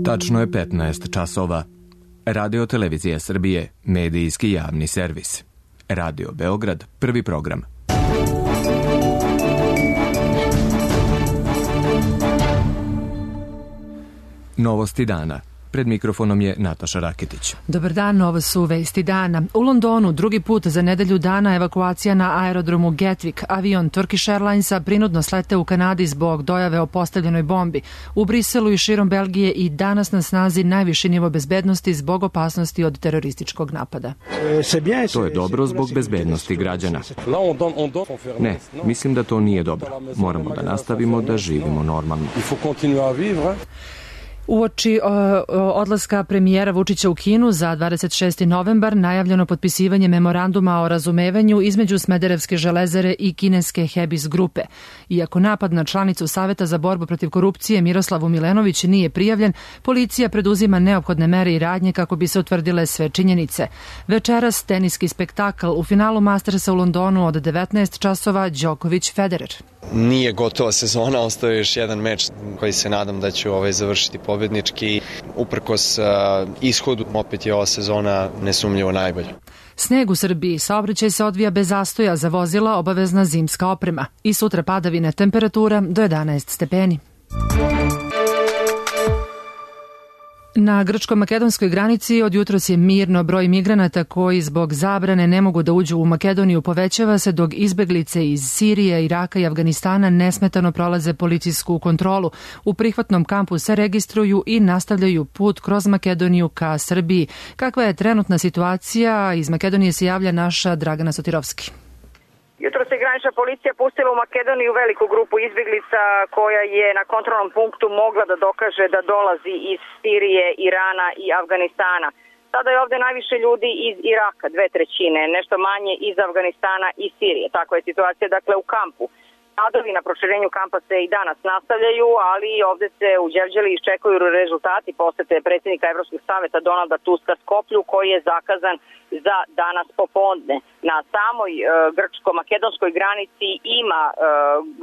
Tačno je 15 časova. Radio Televizija Srbije, medijski javni servis. Radio Beograd, prvi program. Novosti dana. Pred mikrofonom je Nataša Raketić. Dobar dan, ovo su vesti dana. U Londonu drugi put za nedelju dana evakuacija na aerodromu Gatwick. Avion Turkish Airlinesa prinudno sleteo u Kanadi zbog dojave o postavljenoj bombi. U Briselu i širom Belgije i danas na snazi najviši nivo bezbednosti zbog opasnosti od terorističkog napada. To je dobro zbog bezbednosti građana. Ne, mislim da to nije dobro. Moramo da nastavimo da živimo normalno. Uoči odlaska premijera Vučića u Kinu za 26. novembar najavljeno potpisivanje memoranduma o razumevanju između Smederevske železare i kineske Hebis grupe. Iako napad na članicu Saveta za borbu protiv korupcije Miroslavu Milenović nije prijavljen, policija preduzima neophodne mere i radnje kako bi se utvrdile sve činjenice. Večeras teniski spektakl u finalu Mastersa u Londonu od 19 časova Đoković-Federer. Nije gotova sezona, ostao je još jedan meč koji se nadam da ću završiti pobednički. Uprkos ishodu, opet je ova sezona nesumnjivo najbolja. Sneg u Srbiji, saobraćaj se odvija bez zastoja, za vozila obavezna zimska oprema. I sutra padavine, temperatura do 11 stepeni. Na grčko-makedonskoj granici od jutros je mirno. Broj migranata koji zbog zabrane ne mogu da uđu u Makedoniju povećava se, dok izbeglice iz Sirije, Iraka i Afganistana nesmetano prolaze policijsku kontrolu. U prihvatnom kampu se registruju i nastavljaju put kroz Makedoniju ka Srbiji. Kakva je trenutna situacija? Iz Makedonije se javlja naša Dragana Sotirovski. Jutro se granična policija pustila u Makedoniju veliku grupu izbjeglica koja je na kontrolnom punktu mogla da dokaže da dolazi iz Sirije, Irana i Afganistana. Sada je ovde najviše ljudi iz Iraka, 2/3, nešto manje iz Afganistana i Sirije. Takva je situacija, dakle, u kampu. Radovi na proširenju kampa se i danas nastavljaju, ali ovde se u Đevđeli iščekuju rezultati posete predsjednika Evropskog saveta Donalda Tuska Skoplju, koji je zakazan za danas popodne. Na samoj grčko-makedonskoj granici ima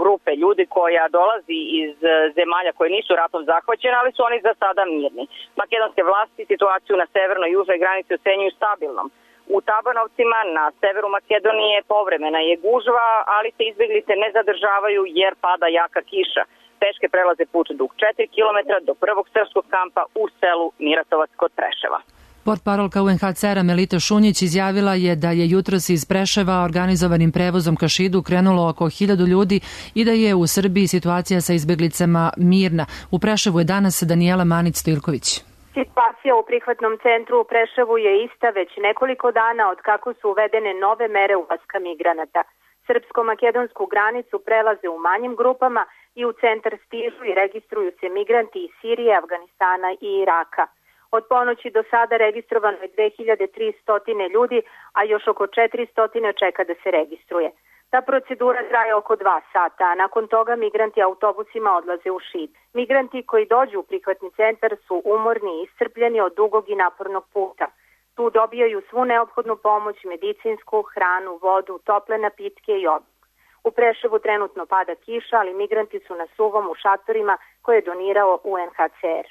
grupe ljudi koja dolazi iz zemalja koje nisu ratom zahvaćene, ali su oni za sada mirni. Makedonske vlasti situaciju na severnoj i južnoj granici ocenjuju stabilnom. U Tabanovcima na severu Makedonije povremena je gužva, ali se izbjeglice ne zadržavaju jer pada jaka kiša. Peške prelaze put dug 4 km do prvog srpskog kampa u selu Miratovac kod Preševa. Portparolka UNHCR-a Melita Šunjić izjavila je da je jutros iz Preševa organizovanim prevozom ka Šidu krenulo oko 1000 ljudi i da je u Srbiji situacija sa izbjeglicama mirna. U Preševu je danas Danijela Manić-Stojilković. Situacija u prihvatnom centru u Preševu je ista već nekoliko dana od kako su uvedene nove mere ulaska migranata. Srpsko-makedonsku granicu prelaze u manjim grupama i u centar stižu i registruju se migranti iz Sirije, Afganistana i Iraka. Od ponoći do sada registrovano je 2300 ljudi, a još oko 400 čeka da se registruje. Ta procedura traje oko 2 sata, a nakon toga migranti autobusima odlaze u Šid. Migranti koji dođu u prihvatni centar su umorni i iscrpljeni od dugog i napornog puta. Tu dobijaju svu neophodnu pomoć, medicinsku, hranu, vodu, tople napitke i obrok. U Preševu trenutno pada kiša, ali migranti su na suvom u šatorima koje je donirao UNHCR.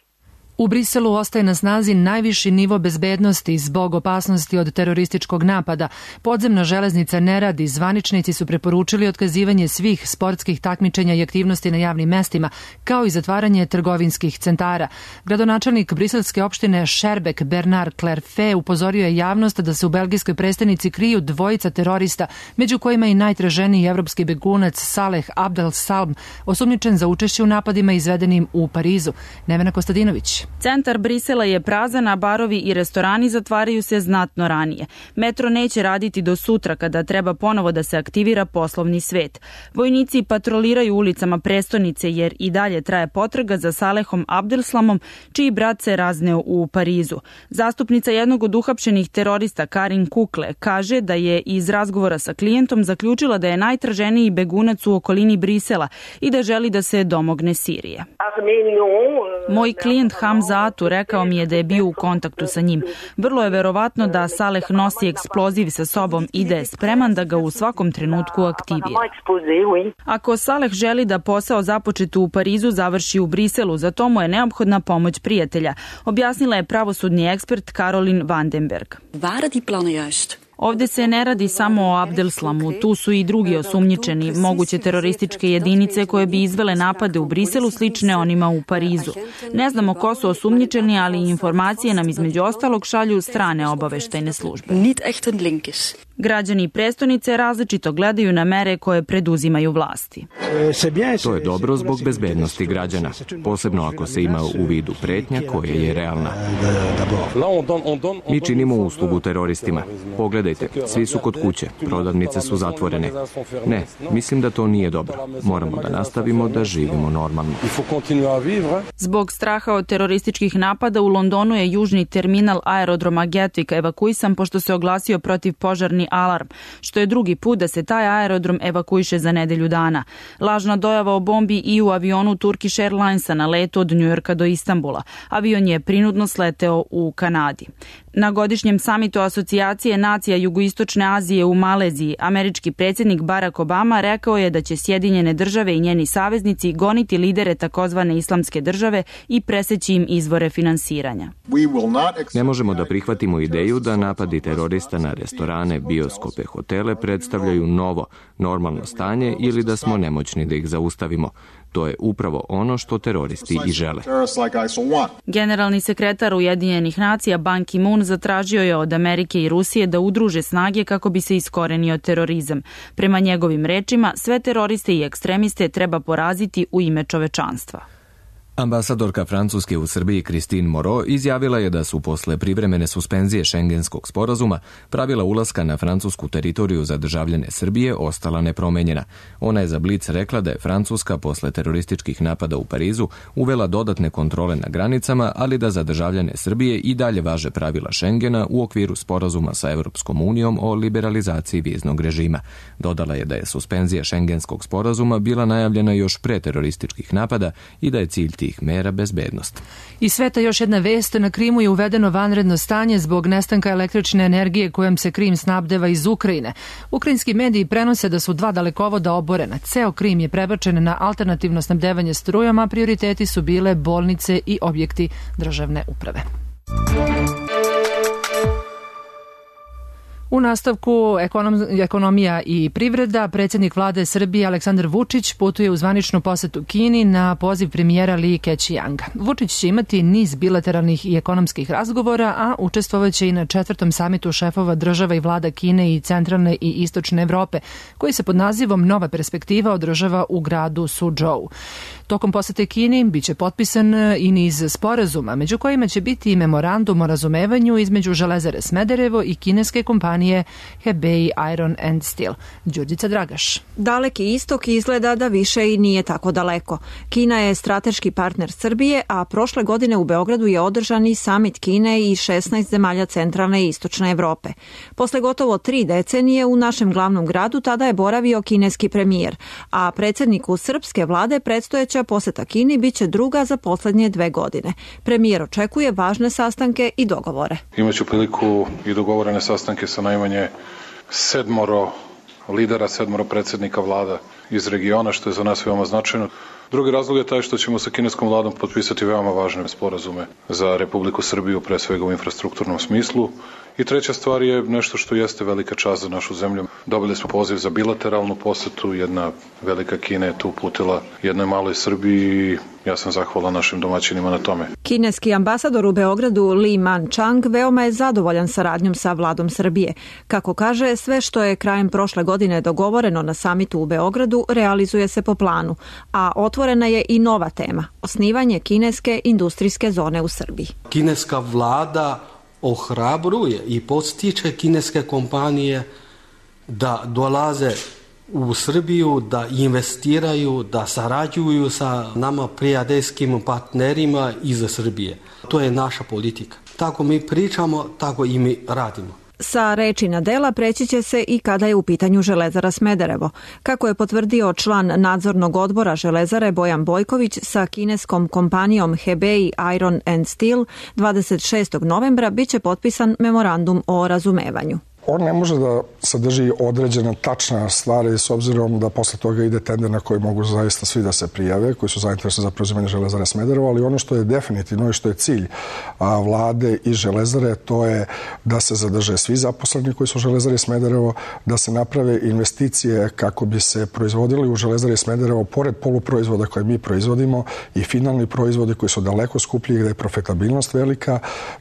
U Briselu ostaje na snazi najviši nivo bezbednosti zbog opasnosti od terorističkog napada. Podzemna železnica ne radi, zvaničnici su preporučili otkazivanje svih sportskih takmičenja i aktivnosti na javnim mestima, kao i zatvaranje trgovinskih centara. Gradonačelnik briselske opštine Šerbek Bernard Clerfe upozorio je javnost da se u belgijskoj prestonici kriju dvojica terorista, među kojima i najtraženiji evropski begunac Saleh Abdel Salm, osumnjičen za učešće u napadima izvedenim u Parizu. Nevena Kostadinović. Centar Brisela je prazan, a barovi i restorani zatvaraju se znatno ranije. Metro neće raditi do sutra kada treba ponovo da se aktivira poslovni svet. Vojnici patroliraju ulicama prestonice jer i dalje traje potraga za Salehom Abdelslamom, čiji brat se razneo u Parizu. Zastupnica jednog od uhapšenih terorista Karin Kukle kaže da je iz razgovora sa klijentom zaključila da je najtraženiji begunac u okolini Brisela i da želi da se domogne Sirije. Moj klijent Hamad Hamzatu, rekao mi je da je bio u kontaktu sa njim. Vrlo je verovatno da Saleh nosi eksploziv sa sobom i da je spreman da ga u svakom trenutku aktivira. Ako Saleh želi da posao započet u Parizu završi u Briselu, za to mu je neophodna pomoć prijatelja, objasnila je pravosudni ekspert Caroline Vandenberg. Ovdje se ne radi samo o Abdelslamu, tu su i drugi osumnjičeni, moguće terorističke jedinice koje bi izvele napade u Briselu slične onima u Parizu. Ne znamo ko su osumnjičeni, ali informacije nam između ostalog šalju strane obaveštajne službe. Građani prestonice različito gledaju na mere koje preduzimaju vlasti. To je dobro zbog bezbednosti građana, posebno ako se ima u vidu pretnja koja je realna. Mi činimo uslugu teroristima. Pogledajte, svi su kod kuće, prodavnice su zatvorene. Ne, mislim da to nije dobro. Moramo da nastavimo da živimo normalno. Zbog straha od terorističkih napada u Londonu je južni terminal aerodroma Gatwick evakuisan pošto se oglasio protivpožarni alarm, što je drugi put da se taj aerodrom evakuiše za nedelju dana. Lažna dojava o bombi i u avionu Turkish Airlinesa na letu od Njujorka do Istanbula. Avion je prinudno sleteo u Kanadi. Na godišnjem samitu Asocijacije nacija Jugoistočne Azije u Maleziji, američki predsjednik Barack Obama rekao je da će Sjedinjene države i njeni saveznici goniti lidere takozvane islamske države i preseći im izvore finansiranja. Ne možemo da prihvatimo ideju da napadi terorista na restorane, bioskope, hotele predstavljaju novo, normalno stanje ili da smo nemoćni da ih zaustavimo. To je upravo ono što teroristi i žele. Generalni sekretar Ujedinjenih nacija Ban Ki-moon zatražio je od Amerike i Rusije da udruže snage kako bi se iskorenio terorizam. Prema njegovim rečima, sve teroriste i ekstremiste treba poraziti u ime čovečanstva. Ambasadorka Francuske u Srbiji Christine Moreau izjavila je da su posle privremene suspenzije Šengenskog sporazuma pravila ulaska na francusku teritoriju za državljane Srbije ostala nepromenjena. Ona je za Blic rekla da je Francuska posle terorističkih napada u Parizu uvela dodatne kontrole na granicama, ali da za državljane Srbije i dalje važe pravila Šengena u okviru sporazuma sa Evropskom unijom o liberalizaciji viznog režima. Dodala je da je suspenzija Šengenskog sporazuma bila najavljena još pre terorističkih napada i da je cilj mera bezbednost. I sveta još jedna vest, na Krimu je uvedeno vanredno stanje zbog nestanka električne energije kojom se Krim snabdeva iz Ukrajine. Ukrajinski mediji prenose da su 2 dalekovoda oborena. Ceo Krim je prebačen na alternativno snabdevanje strujom, a prioriteti su bile bolnice i objekti državne uprave. U nastavku ekonomija i privreda, predsjednik vlade Srbije Aleksandar Vučić putuje u zvaničnu posetu Kini na poziv premijera Li Keqianga. Vučić će imati niz bilateralnih i ekonomskih razgovora, a učestvovaće i na 4. samitu šefova država i vlada Kine i centralne i istočne Evrope, koji se pod nazivom Nova perspektiva održava u gradu Suzhou. Tokom posete Kini biće potpisan i niz sporazuma, među kojima će biti i memorandum o razumevanju između Železare Smederevo i kineske kompanije Hebei Iron and Steel. Đurđica Dragaš. Daleki istok izgleda da više i nije tako daleko. Kina je strateški partner Srbije, a prošle godine u Beogradu je održan i samit Kine i 16 zemalja centralne i istočne Evrope. Posle gotovo 3 decenije u našem glavnom gradu tada je boravio kineski premijer, a predsjedniku srpske vlade predstojeća poseta Kini biće druga za posljednje 2 godine. Premijer očekuje važne sastanke i dogovore. Imaću priliku i dogovorene sastanke sa najmanje 7 lidera, 7 predsjednika vlada iz regiona, što je za nas veoma značajno. Drugi razlog je taj što ćemo sa kineskom vladom potpisati veoma važne sporazume za Republiku Srbiju, pre svega u infrastrukturnom smislu. I treća stvar je nešto što jeste velika čast za našu zemlju. Dobili smo poziv za bilateralnu posetu, jedna velika Kina je tu uputila jednoj maloj Srbiji i ja sam zahvalan našim domaćinima na tome. Kineski ambasador u Beogradu Li Man-chang veoma je zadovoljan saradnjom sa vladom Srbije. Kako kaže, sve što je krajem prošle godine dogovoreno na samitu u Beogradu realizuje se po planu, a otvorena je i nova tema, osnivanje kineske industrijske zone u Srbiji. Kineska vlada ohrabruje i podstiče kineske kompanije da dolaze u Srbiju, da investiraju, da sarađuju sa nama prijateljskim partnerima iz Srbije. To je naša politika. Tako mi pričamo, tako i mi radimo. Sa reči na dela preći će se i kada je u pitanju Železara Smederevo. Kako je potvrdio član nadzornog odbora Železare Bojan Bojković, sa kineskom kompanijom Hebei Iron and Steel 26. novembra biće potpisan memorandum o razumevanju. On ne može da sadrži određene tačne stvari s obzirom da posle toga ide tender na koji mogu zaista svi da se prijave, koji su zainteresovani za preuzimanje Železare Smederevo, ali ono što je definitivno i što je cilj vlade i Železare, to je da se zadrže svi zaposleni koji su u Železari Smederevo, da se naprave investicije kako bi se proizvodili u Železari Smederevo, pored poluproizvoda koje mi proizvodimo, i finalni proizvodi koji su daleko skuplji, gde je profitabilnost velika.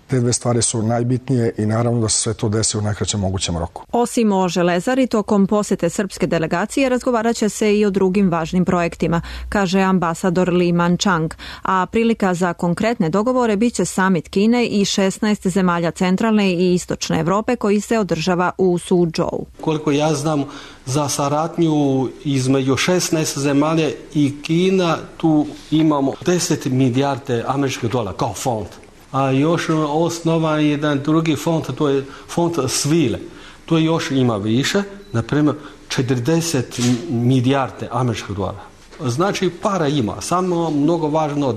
Te dve stvari su najbitnije i naravno da se sve to desi u najkraćem mogućem roku. Osim o Železari, tokom posete srpske delegacije razgovarat će se i o drugim važnim projektima, kaže ambasador Li Manchang, a prilika za konkretne dogovore biće samit Kine i 16 zemalja centralne i istočne Evrope koji se održava u Suzhou. Koliko ja znam, za saradnju između 16 zemalja i Kina tu imamo 10 milijarde američkih dolara kao fond. A još osnovan jedan drugi fond, to je fond svile. To još ima više, na primjer 40 milijarde američkih dolara. Znači para ima, samo mnogo važno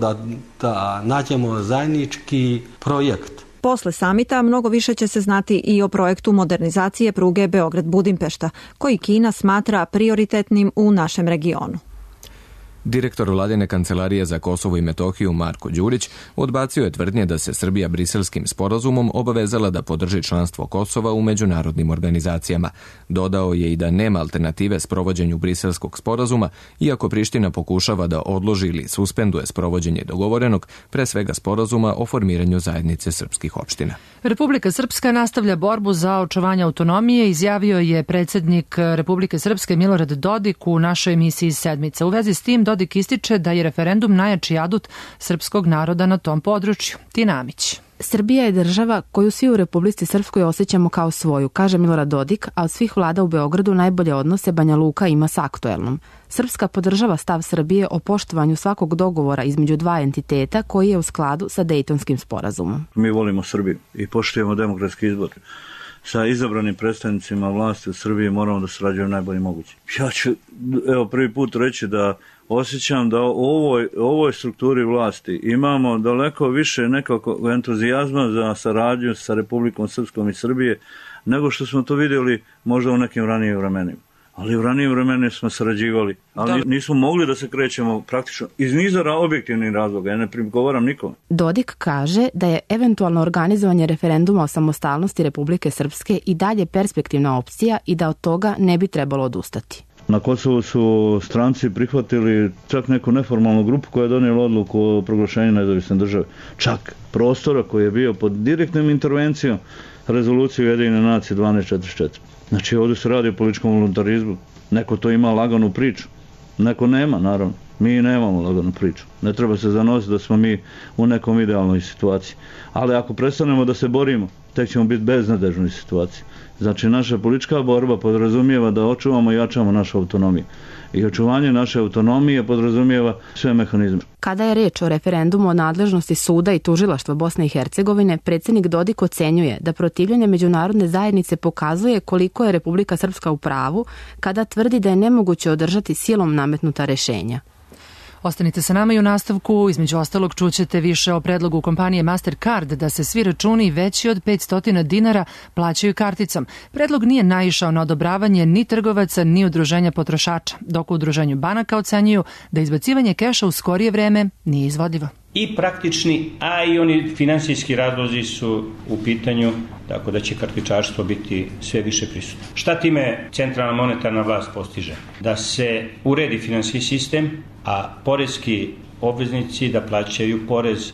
da nađemo zajednički projekt. Posle samita mnogo više će se znati i o projektu modernizacije pruge Beograd-Budimpešta, koji Kina smatra prioritetnim u našem regionu. Direktor Vladine kancelarije za Kosovo i Metohiju Marko Đurić odbacio je tvrdnje da se Srbija Briselskim sporazumom obavezala da podrži članstvo Kosova u međunarodnim organizacijama. Dodao je i da nema alternative sprovođenju Briselskog sporazuma, iako Priština pokušava da odloži ili suspenduje sprovođenje dogovorenog, pre svega sporazuma o formiranju zajednice srpskih opština. Republika Srpska nastavlja borbu za očuvanje autonomije, izjavio je predsjednik Republike Srpske Milorad Dodik u našoj emisiji Sedmica. U vezi s tim Dodik ističe da je referendum najjači adut srpskog naroda na tom području. Tina Amić. Srbija je država koju svi u Republici Srpskoj osjećamo kao svoju, kaže Milorad Dodik, a od svih vlada u Beogradu najbolje odnose Banja Luka ima sa aktuelnom. Srpska podržava stav Srbije o poštovanju svakog dogovora između dva entiteta koji je u skladu sa Dejtonskim sporazumom. Mi volimo Srbiju i poštujemo demokratski izbor. Sa izabranim predstavnicima vlasti u Srbiji moramo da sarađujemo najbolje moguće. Ja ću prvi put reći da osjećam da u ovoj strukturi vlasti imamo daleko više nekog entuzijazma za saradnju sa Republikom Srpskom i Srbije nego što smo to vidjeli možda u nekim ranijim vremenima. Ali u ranijim vremenima smo sarađivali, ali nismo mogli da se krećemo praktično iz niza objektivnih razloga, ja ne prigovaram nikome. Dodik kaže da je eventualno organizovanje referenduma o samostalnosti Republike Srpske i dalje perspektivna opcija i da od toga ne bi trebalo odustati. Na Kosovu su stranci prihvatili čak neku neformalnu grupu koja je donijela odluku o proglašenju nezavisne države. Čak prostora koji je bio pod direktnom intervencijom rezolucije Ujedinjene nacije 1244. Znači ovdje se radi o političkom voluntarizmu. Neko to ima laganu priču, neko nema, naravno. Mi nemamo laganu priču. Ne treba se zanositi da smo mi u nekom idealnoj situaciji. Ali ako prestanemo da se borimo, tek ćemo biti beznadežnoj situaciji. Znači naša politička borba podrazumijeva da očuvamo i jačamo našu autonomiju. I očuvanje naše autonomije podrazumijeva sve mehanizme. Kada je reč o referendumu o nadležnosti suda i tužilaštva Bosne i Hercegovine, predsjednik Dodik ocenjuje da protivljenje međunarodne zajednice pokazuje koliko je Republika Srpska u pravu kada tvrdi da je nemoguće održati silom nametnuta rješenja. Ostanite sa nama i u nastavku, između ostalog čućete više o predlogu kompanije Mastercard da se svi računi veći od 500 dinara plaćaju karticom. Predlog nije naišao na odobravanje ni trgovaca ni udruženja potrošača, dok u udruženju banaka ocenjuju da izbacivanje keša u skorije vreme nije izvodivo. I praktični, a i oni finansijski razlozi su u pitanju, tako da će kartičarstvo biti sve više prisutno. Šta time centralna monetarna vlast postiže? Da se uredi finansijski sistem, a poreski obveznici da plaćaju porez.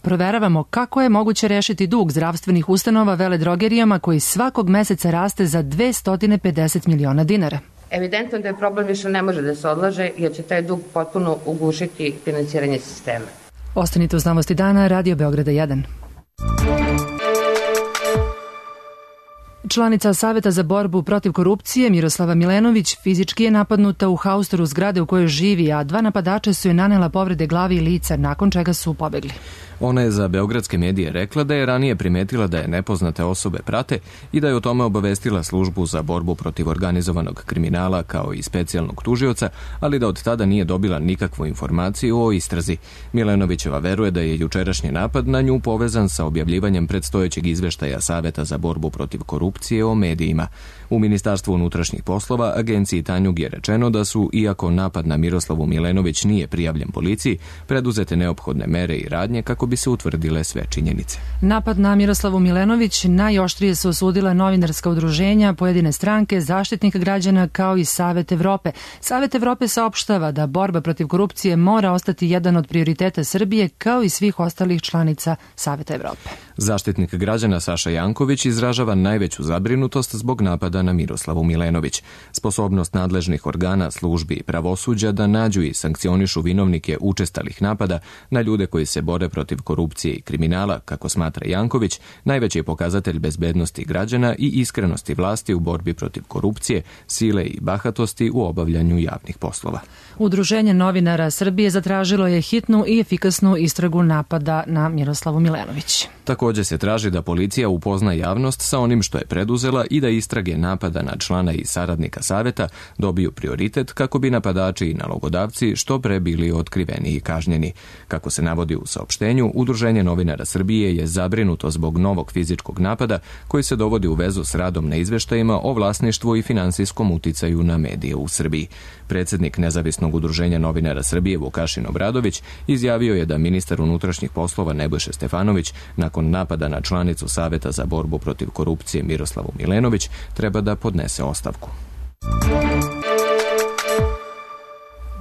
Proveravamo kako je moguće rešiti dug zdravstvenih ustanova veledrogerijama koji svakog meseca raste za 250 miliona dinara. Evidentno da je problem više ne može da se odlaže jer će taj dug potpuno ugušiti finansiranje sistema. Ostanite uz Novosti dana, Radio Beograda 1. Članica Saveta za borbu protiv korupcije Miroslava Milenović fizički je napadnuta u haustoru zgrade u kojoj živi, a dva napadača su je nanela povrede glavi i lica, nakon čega su pobegli. Ona je za beogradske medije rekla da je ranije primetila da je nepoznate osobe prate i da je o tome obavestila službu za borbu protiv organizovanog kriminala kao i specijalnog tužioca, ali da od tada nije dobila nikakvu informaciju o istrazi. Milenovićeva veruje da je jučerašnji napad na nju povezan sa objavljivanjem predstojećeg izveštaja Saveta za borbu protiv korupcije o medijima. U Ministarstvu unutrašnjih poslova agenciji Tanjug je rečeno da su, iako napad na Miroslavu Milenović nije prijavljen policiji, preduzete neophodne mere i radnje kako bi se utvrdile sve činjenice. Napad na Miroslavu Milenović najoštrije su osudila novinarska udruženja, pojedine stranke, Zaštitnik građana kao i Savet Evrope. Savet Evrope saopštava da borba protiv korupcije mora ostati jedan od prioriteta Srbije kao i svih ostalih članica Saveta Evrope. Zaštitnik građana Saša Janković izražava najveću zabrinutost zbog napada na Miroslavu Milenović. Sposobnost nadležnih organa, službi i pravosuđa da nađu i sankcionišu vinovnike učestalih napada na ljude koji se bore protiv korupcije i kriminala, kako smatra Janković, najveći je pokazatelj bezbednosti građana i iskrenosti vlasti u borbi protiv korupcije, sile i bahatosti u obavljanju javnih poslova. Udruženje novinara Srbije zatražilo je hitnu i efikasnu istragu napada na Miroslavu Milenović. Također se traži da policija upozna javnost sa onim što je preduzela i da istrage napada na člana i saradnika saveta dobiju prioritet kako bi napadači i nalogodavci što pre bili otkriveni i kažnjeni. Kako se navodi u saopštenju, Udruženje novinara Srbije je zabrinuto zbog novog fizičkog napada koji se dovodi u vezu s radom na izveštajima o vlasništvu i finansijskom uticaju na medije u Srbiji. Predsjednik Nezavisnog udruženja novinara Srbije Vukašin Obradović izjavio je da ministar unutrašnjih poslova Nebojša Stefanović nakon napada na članicu Saveta za borbu protiv korupcije Miroslavu Milenović treba da podnese ostavku.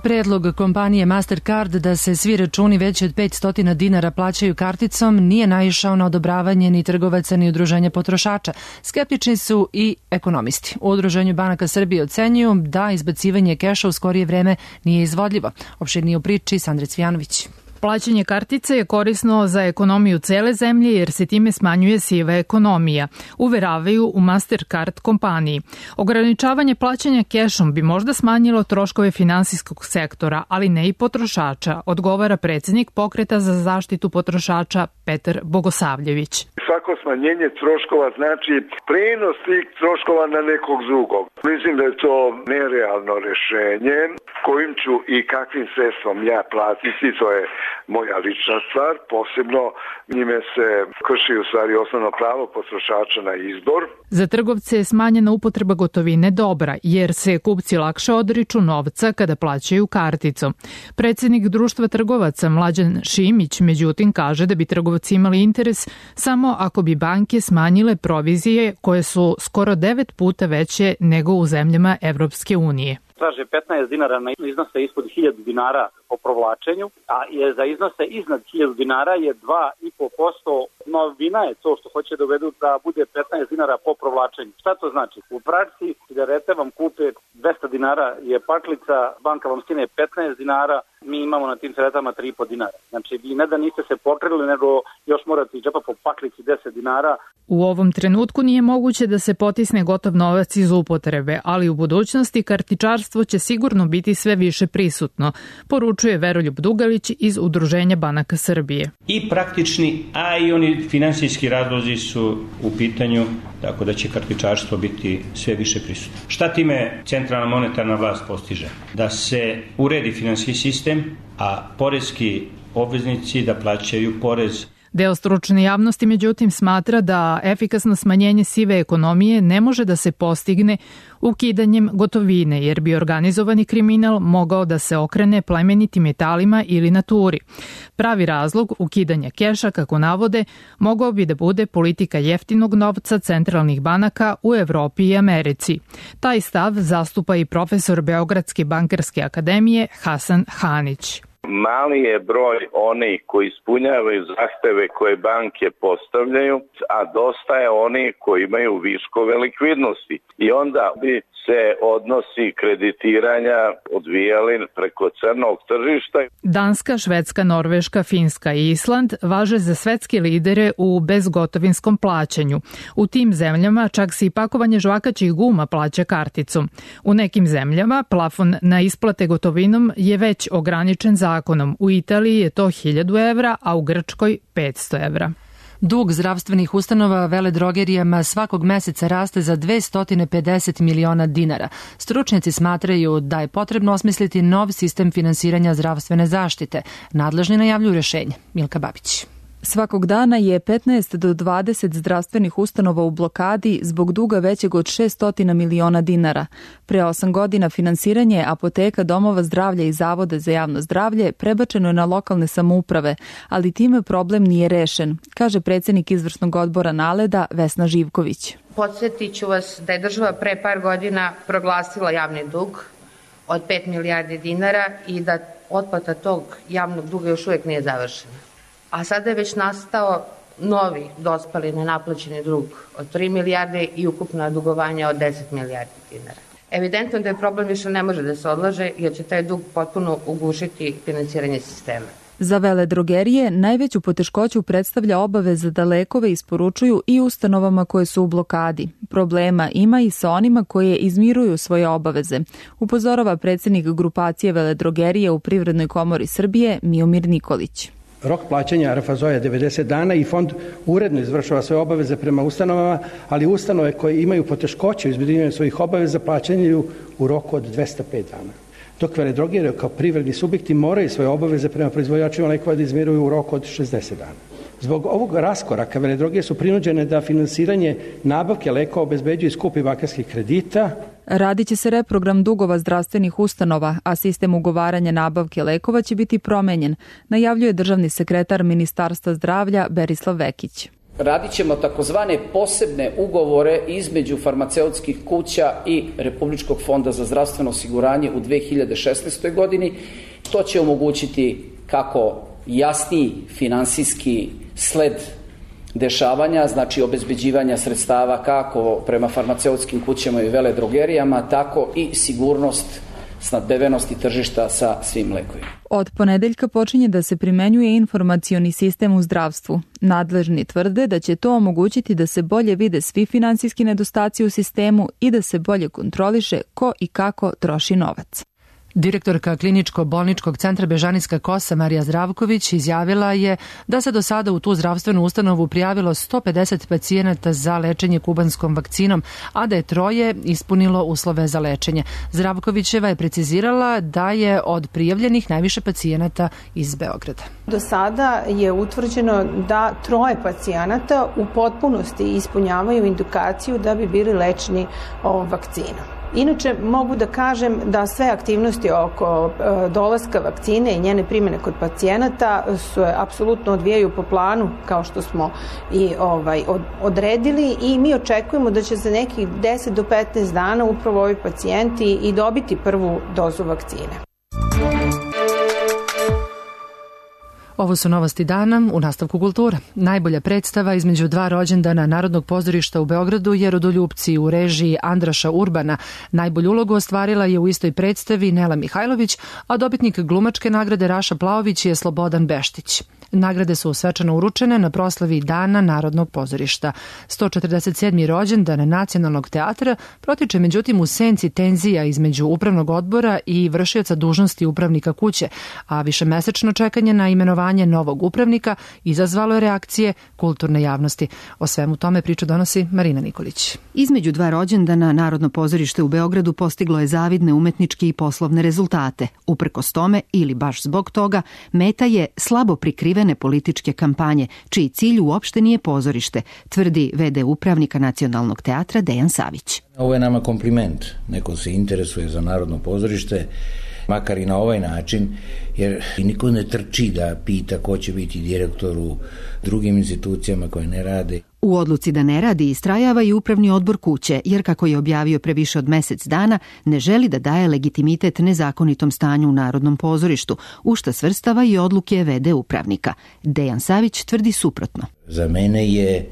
Predlog kompanije Mastercard da se svi računi veći od 500 dinara plaćaju karticom nije naišao na odobravanje ni trgovaca ni udruženja potrošača. Skeptični su i ekonomisti. U Udruženju banaka Srbije ocenjuju da izbacivanje keša u skorije vreme nije izvodljivo. Opširnije u priči Sandra Cvijanović. Plaćanje kartice je korisno za ekonomiju cele zemlje jer se time smanjuje siva ekonomija, uveravaju u Mastercard kompaniji. Ograničavanje plaćanja kešom bi možda smanjilo troškove finansijskog sektora, ali ne i potrošača, odgovara predsjednik Pokreta za zaštitu potrošača Petar Bogosavljević. Svako smanjenje troškova znači prenos tih troškova na nekog drugog. Mislim da je to nerealno rešenje kojim ću i kakvim sredstvom ja platiti, to je moja lična stvar, posebno njime se krši u stvari osnovno pravo potrošača na izbor. Za trgovce je smanjena upotreba gotovine dobra, jer se kupci lakše odriču novca kada plaćaju karticom. Predsjednik Društva trgovaca Mlađan Šimić, međutim, kaže da bi trgovci imali interes samo ako bi banke smanjile provizije koje su skoro 9 puta veće nego u zemljama Evropske unije. Traže 15 dinara na iznose ispod 1000 dinara po provlačenju, a je za iznose iznad 1000 dinara je 2,5%. Novina je to što hoće dovedu da bude 15 dinara po provlačenju. Šta to znači? U praksi cigarete vam kupe 200 dinara je paklica, banka vam skine 15 dinara, mi imamo na tim cigaretama 3,5 dinara. Znači, vi ne da niste se pokrili, nego još morate iz džepa po paklici 10 dinara. U ovom trenutku nije moguće da se potisne gotov novac iz upotrebe, ali u budućnosti kartičarstvo će sigurno biti sve više prisutno, poručuje Veroljub Dugalić iz Udruženja banaka Srbije. I praktični, a i oni finansijski razlozi su u pitanju, tako da će kartičarstvo biti sve više prisutno. Šta time centralna monetarna vlast postiže? Da se uredi finansijski sistem, a poreski obveznici da plaćaju porez. Deo stručne javnosti međutim smatra da efikasno smanjenje sive ekonomije ne može da se postigne ukidanjem gotovine, jer bi organizovani kriminal mogao da se okrene plemenitim metalima ili naturi. Pravi razlog ukidanja keša, kako navode, mogao bi da bude politika jeftinog novca centralnih banaka u Evropi i Americi. Taj stav zastupa i profesor Beogradske bankarske akademije Hasan Hanić. Mali je broj onih koji ispunjavaju zahteve koje banke postavljaju, a dosta je onih koji imaju viškove likvidnosti. I onda bi se odnosi kreditiranja odvijali preko crnog tržišta. Danska, Švedska, Norveška, Finska i Island važe za svetske lidere u bezgotovinskom plaćanju. U tim zemljama čak se i pakovanje žvakaćih guma plaća karticom. U nekim zemljama plafon na isplate gotovinom je već ograničen zakonom. U Italiji je to 1000 evra, a u Grčkoj 500 evra. Dug zdravstvenih ustanova veledrogerijama svakog meseca raste za 250 miliona dinara. Stručnjaci smatraju da je potrebno osmisliti nov sistem finansiranja zdravstvene zaštite. Nadležni najavljuju rešenje. Milka Babić. Svakog dana je 15 do 20 zdravstvenih ustanova u blokadi zbog duga većeg od 600 miliona dinara. Pre 8 godina finansiranje apoteka, domova zdravlja i zavoda za javno zdravlje prebačeno je na lokalne samouprave, ali time problem nije rešen, kaže predsjednik izvršnog odbora NALED-a Vesna Živković. Podsjetit ću vas da je država pre par godina proglasila javni dug od 5 milijardi dinara i da otplata tog javnog duga još uvijek nije završena. A sada je već nastao novi dospali nenaplaćeni dug od 3 milijarde i ukupna dugovanja od 10 milijardi dinara. Evidentno da je problem više ne može da se odlaže jer će taj dug potpuno ugušiti finansiranje sistema. Za veledrogerije najveću poteškoću predstavlja obaveza da lekove isporučuju i ustanovama koje su u blokadi. Problema ima i sa onima koje izmiruju svoje obaveze, upozorava predsjednik grupacije veledrogerije u Privrednoj komori Srbije Miomir Nikolić. Rok plaćanja RFZO je 90 dana i fond uredno izvršava svoje obaveze prema ustanovama, ali ustanove koje imaju poteškoće u izmirivanju svojih obaveza plaćaju u roku od 205 dana. Dok veledrogerije kao privredni subjekti moraju svoje obaveze prema proizvođačima lekova da izmiruju u roku od 60 dana. Zbog ovog raskoraka veledrogerije su prinuđene da finansiranje nabavke lekova obezbeđuju skupi bankarskih kredita. Radit će se reprogram dugova zdravstvenih ustanova, a sistem ugovaranja nabavke lekova će biti promenjen, najavljuje državni sekretar Ministarstva zdravlja Berislav Vekić. Radit ćemo takozvane posebne ugovore između farmaceutskih kuća i Republičkog fonda za zdravstveno osiguranje u 2016. godini. To će omogućiti kako jasniji finansijski sled dešavanja, znači obezbeđivanja sredstava kako prema farmaceutskim kućama i veledrogerijama, tako i sigurnost snabdevenosti tržišta sa svim lekovima. Od ponedeljka počinje da se primenjuje informacioni sistem u zdravstvu. Nadležni tvrde da će to omogućiti da se bolje vide svi finansijski nedostaci u sistemu i da se bolje kontroliše ko i kako troši novac. Direktorka Kliničko-bolničkog centra Bežanijska Kosa Marija Zdravković izjavila je da se do sada u tu zdravstvenu ustanovu prijavilo 150 pacijenata za lečenje kubanskom vakcinom, a da je 3 ispunilo uslove za lečenje. Zdravkovićeva je precizirala da je od prijavljenih najviše pacijenata iz Beograda. Do sada je utvrđeno da 3 pacijenata u potpunosti ispunjavaju indikaciju da bi bili lečeni ovom vakcinom. Inače, mogu da kažem da sve aktivnosti oko dolaska vakcine i njene primjene kod pacijenata se apsolutno odvijaju po planu kao što smo i odredili i mi očekujemo da će za nekih 10 do 15 dana upravo ovi pacijenti i dobiti prvu dozu vakcine. Ovo su novosti dana, u nastavku kultura. Najbolja predstava između 2 rođendana Narodnog pozorišta u Beogradu je Rodoljupci u režiji Andraša Urbana. Najbolju ulogu ostvarila je u istoj predstavi Nela Mihajlović, a dobitnik glumačke nagrade Raša Plaović je Slobodan Beštić. Nagrade su svečano uručene na proslavi Dana Narodnog pozorišta. 147. rođendan Nacionalnog teatra protiče međutim u senci tenzija između upravnog odbora i vršioca dužnosti upravnika kuće, a višemesečno čekanje na imenovanje novog upravnika izazvalo je reakcije kulturne javnosti. O svemu tome priču donosi Marina Nikolić. Između 2 rođendana Narodno pozorište u Beogradu postiglo je zavidne umetničke i poslovne rezultate. Uprkos tome, ili baš zbog toga, meta je slabo prikrivene političke kampanje, čiji cilj uopšte nije pozorište, tvrdi v.d. upravnika Nacionalnog teatra Dejan Savić. Ovo je nama kompliment. Neko se interesuje za Narodno pozorište, makar i na ovaj način, jer niko ne trči da pita ko će biti direktor u drugim institucijama koje ne rade. U odluci da ne radi istrajava i upravni odbor kuće, jer kako je objavio pre više od mesec dana, ne želi da daje legitimitet nezakonitom stanju u Narodnom pozorištu, u šta svrstava i odluke v.d. upravnika. Dejan Savić tvrdi suprotno. Za mene je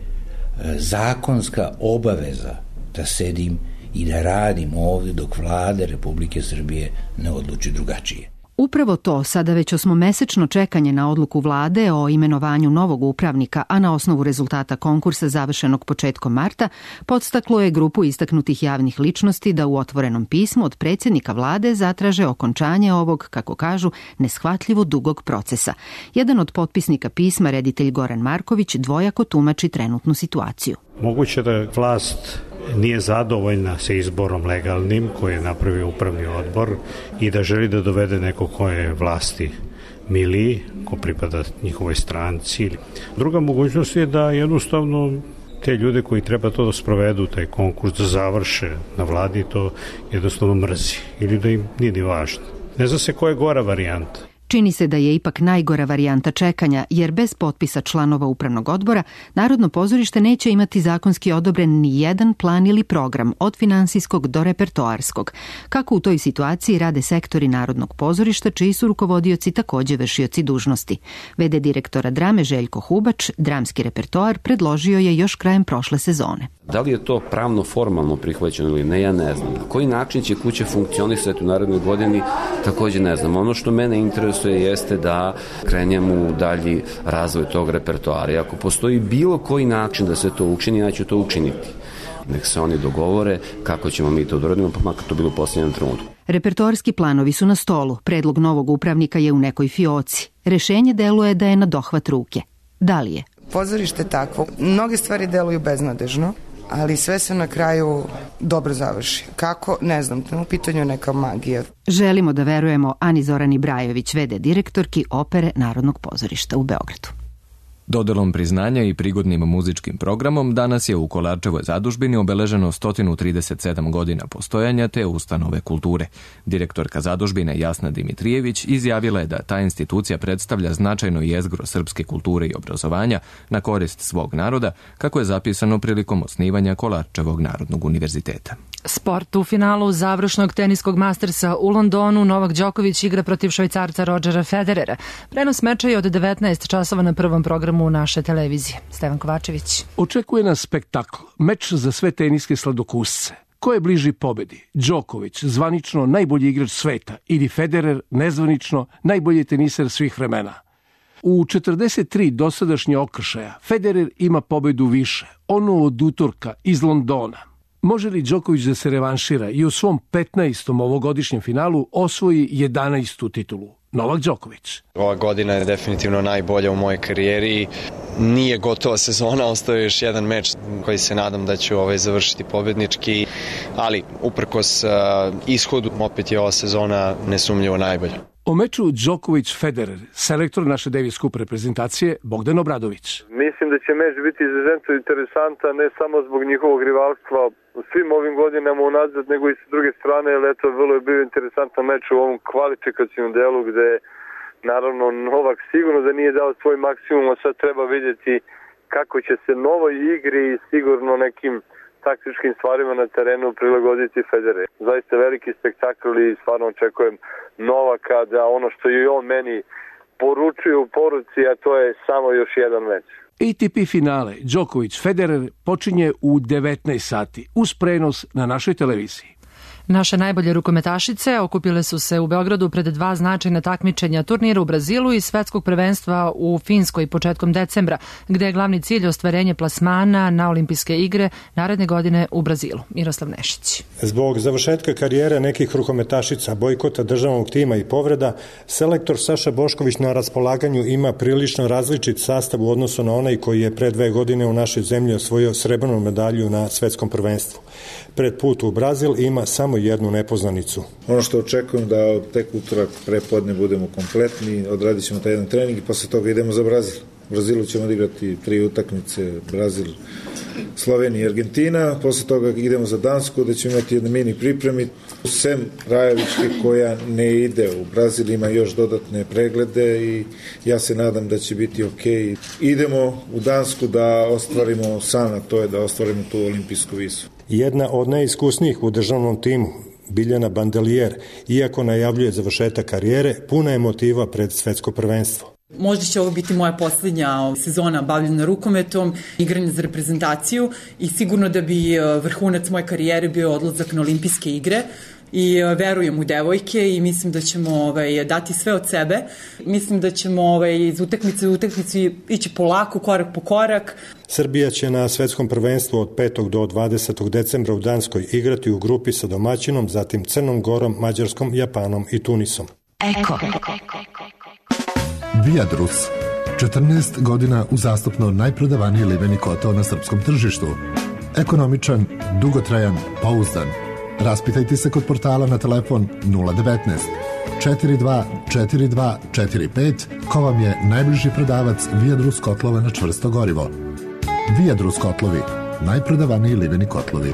zakonska obaveza da sedim i da radimo ovde dok vlada Republike Srbije ne odluči drugačije. Upravo to, sada već 8-mesečno čekanje na odluku vlade o imenovanju novog upravnika, a na osnovu rezultata konkursa završenog početkom marta, podstaklo je grupu istaknutih javnih ličnosti da u otvorenom pismu od predsjednika vlade zatraže okončanje ovog, kako kažu, neshvatljivo dugog procesa. Jedan od potpisnika pisma, reditelj Goran Marković, dvojako tumači trenutnu situaciju. Moguće da vlast nije zadovoljna sa izborom legalnim koji je napravio upravni odbor i da želi da dovede neko ko je vlasti miliji, ko pripada njihovoj stranci. Druga mogućnost je da jednostavno te ljude koji treba to da sprovedu, taj konkurs, da završe na vladi, to jednostavno mrzi ili da im nije ni važno. Ne zna se koja je gora varijanta. Čini se da je ipak najgora varijanta čekanja, jer bez potpisa članova upravnog odbora Narodno pozorište neće imati zakonski odobren ni jedan plan ili program, od finansijskog do repertoarskog. Kako u toj situaciji rade sektori Narodnog pozorišta, čiji su rukovodioci također vršioci dužnosti. V.d. direktora drame Željko Hubač, dramski repertoar predložio je još krajem prošle sezone. Da li je to pravno formalno prihvaćeno ili ne, ja ne znam. Na koji način će kuće funkcionisati u narednoj godini, također ne znam. Ono što mene interesuje jeste da krenemo u dalji razvoj tog repertoara. I ako postoji bilo koji način da se to učini, ja ću to učiniti. Nek se oni dogovore kako ćemo mi to doradimo, pa makar to bilo u posljednjem trenutku. Repertoarski planovi su na stolu, predlog novog upravnika je u nekoj fioci. Rešenje deluje da je na dohvat ruke. Da li je? Pozorište takvo. Mnoge stvari deluju beznadežno, ali sve se na kraju dobro završi. Kako? Ne znam, u pitanju neka magija. Želimo da verujemo Ani Zorani Brajović, v.d. direktorki Opere Narodnog pozorišta u Beogradu. Dodelom priznanja i prigodnim muzičkim programom danas je u Kolarčevoj zadužbini obeleženo 137 godina postojanja te ustanove kulture. Direktorka zadužbine Jasna Dimitrijević izjavila je da ta institucija predstavlja značajno jezgro srpske kulture i obrazovanja na korist svog naroda, kako je zapisano prilikom osnivanja Kolarčevog narodnog univerziteta. Sport u finalu završnog teniskog mastersa u Londonu Novak Đoković igra protiv Švajcarca Rodgera Federera. Prenos meča je od 19 časova na prvom programu naše televizije. Stevan Kovačević. Očekuje nas spektakl, meč za sve teniske sladokusce. Ko je bliži pobedi? Đoković, zvanično najbolji igrač sveta, ili Federer, nezvanično najbolji teniser svih vremena. U 43 dosadašnje okršaja Federer ima pobedu više, onu od utorka iz Londona. Može li Đoković da se revanšira i u svom 15. ovogodišnjem finalu osvoji 11. titulu? Novak Đoković. Ova godina je definitivno najbolja u mojoj karijeri. Nije gotova sezona, ostao je još jedan meč koji se nadam da ću završiti pobednički, ali uprkos ishodu opet je ova sezona nesumnjivo najbolja. O meču Đoković-Federer, selektor naše Davis Cup reprezentacije Bogdan Obradović. Mislim da će meč biti izuzetno interesantan, ne samo zbog njihovog rivalstva u svim ovim godinama unazad, nego i sa druge strane, jer vrlo je bio interesantan meč u ovom kvalifikacijnom delu gde naravno Novak sigurno da nije dao svoj maksimum, a sad treba vidjeti kako će se novoj igri i sigurno nekim taktičkim stvarima na terenu prilagoditi Federer. Zaista veliki spektakl i stvarno očekujem Novaka da ono što je on meni poručuje u poruci, a to je samo još jedan meč. ATP finale Đoković-Federer počinje u 19 sati uz prenos na našoj televiziji. Naše najbolje rukometašice okupile su se u Beogradu pred dva značajna takmičenja, turnira u Brazilu i svetskog prvenstva u Finskoj početkom decembra, gde je glavni cilj ostvarenje plasmana na olimpijske igre naredne godine u Brazilu. Miroslav Nešić. Zbog završetka karijere nekih rukometašica, bojkota državnog tima i povreda, selektor Saša Bošković na raspolaganju ima prilično različit sastav u odnosu na onaj koji je pre 2 godine u našoj zemlji osvojio srebrnu medalju na svetskom prvenstvu. Pred put u Brazil ima samo jednu nepoznanicu. Ono što očekujem da tek utorak prepodne budemo kompletni, odradit ćemo taj jedan trening i posle toga idemo za Brazil. U Brazilu ćemo odigrati 3 utakmice, Brazil, Slovenija i Argentina, posle toga idemo za Dansku da ćemo imati jedne mini pripremi. Sem Rajevičke koja ne ide u Brazil, ima još dodatne preglede i ja se nadam da će biti okej. Idemo u Dansku da ostvarimo san, a to je da ostvarimo tu olimpijsku visu. Jedna od najiskusnijih u državnom timu, Biljana Bandelier, iako najavljuje završetak karijere, puna je motiva pred svetsko prvenstvo. Možda će ovo biti moja posljednja sezona bavljena rukometom, igranje za reprezentaciju i sigurno da bi vrhunac moje karijere bio odlazak na olimpijske igre. I verujem u devojke i mislim da ćemo dati sve od sebe. Mislim da ćemo iz utakmice u utakmicu ići polako, korak po korak. Srbija će na svetskom prvenstvu od 5. do 20. decembra u Danskoj igrati u grupi sa domaćinom, zatim Crnom Gorom, Mađarskom, Japanom i Tunisom. Eko. Viadrus. 14 godina uzastopno najprodavaniji liveni kotao na srpskom tržištu. Ekonomičan, dugotrajan, pouzdan. Raspitajte se kod portala na telefon 019 42 42 45 ko vam je najbliži prodavac Viadrus kotlova na čvrsto gorivo. Viadrus kotlovi, najprodavaniji liveni kotlovi.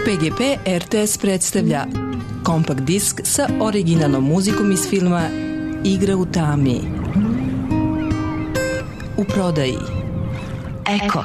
PGP RTS predstavlja kompakt disk sa originalnom muzikom iz filma Igra u tami. U prodaji. Eko.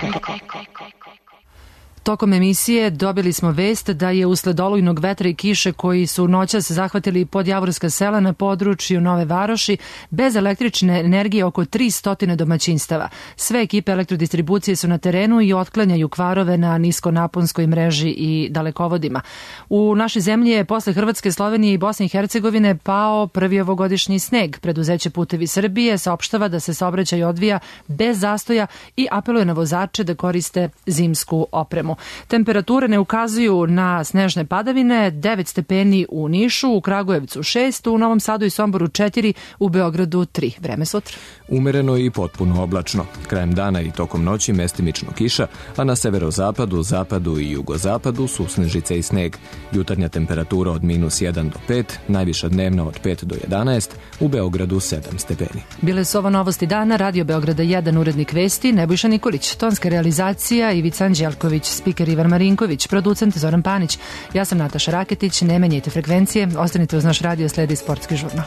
Tokom emisije dobili smo vest da je usled olujnog vetra i kiše koji su noćas zahvatili podjavorska sela na području Nove Varoši bez električne energije oko 300 domaćinstava. Sve ekipe elektrodistribucije su na terenu i otklanjaju kvarove na niskonaponskoj mreži i dalekovodima. U našoj zemlji je posle Hrvatske, Slovenije i Bosne i Hercegovine pao prvi ovogodišnji sneg. Preduzeće Putevi Srbije saopštava da se saobraćaj odvija bez zastoja i apeluje na vozače da koriste zimsku opremu. Temperature ne ukazuju na snežne padavine, 9 stepeni u Nišu, u Kragujevcu 6, u Novom Sadu i Somboru 4, u Beogradu 3. Vreme sutra. Umereno i potpuno oblačno. Krajem dana i tokom noći mestimično kiša, a na severozapadu, zapadu i jugozapadu su snežice i sneg. Jutarnja temperatura od -1 do 5, najviša dnevna od 5 do 11, u Beogradu 7 stepeni. Bile su ovo novosti dana, Radio Beograda 1, urednik vesti Nebojša Nikolić, tonska realizacija Ivica Anđelković, spiker Ivan Marinković, producent Zoran Panić. Ja sam Nataša Raketić, ne menjajte frekvencije, ostanite uz naš radio, sledi Sportski žurnal.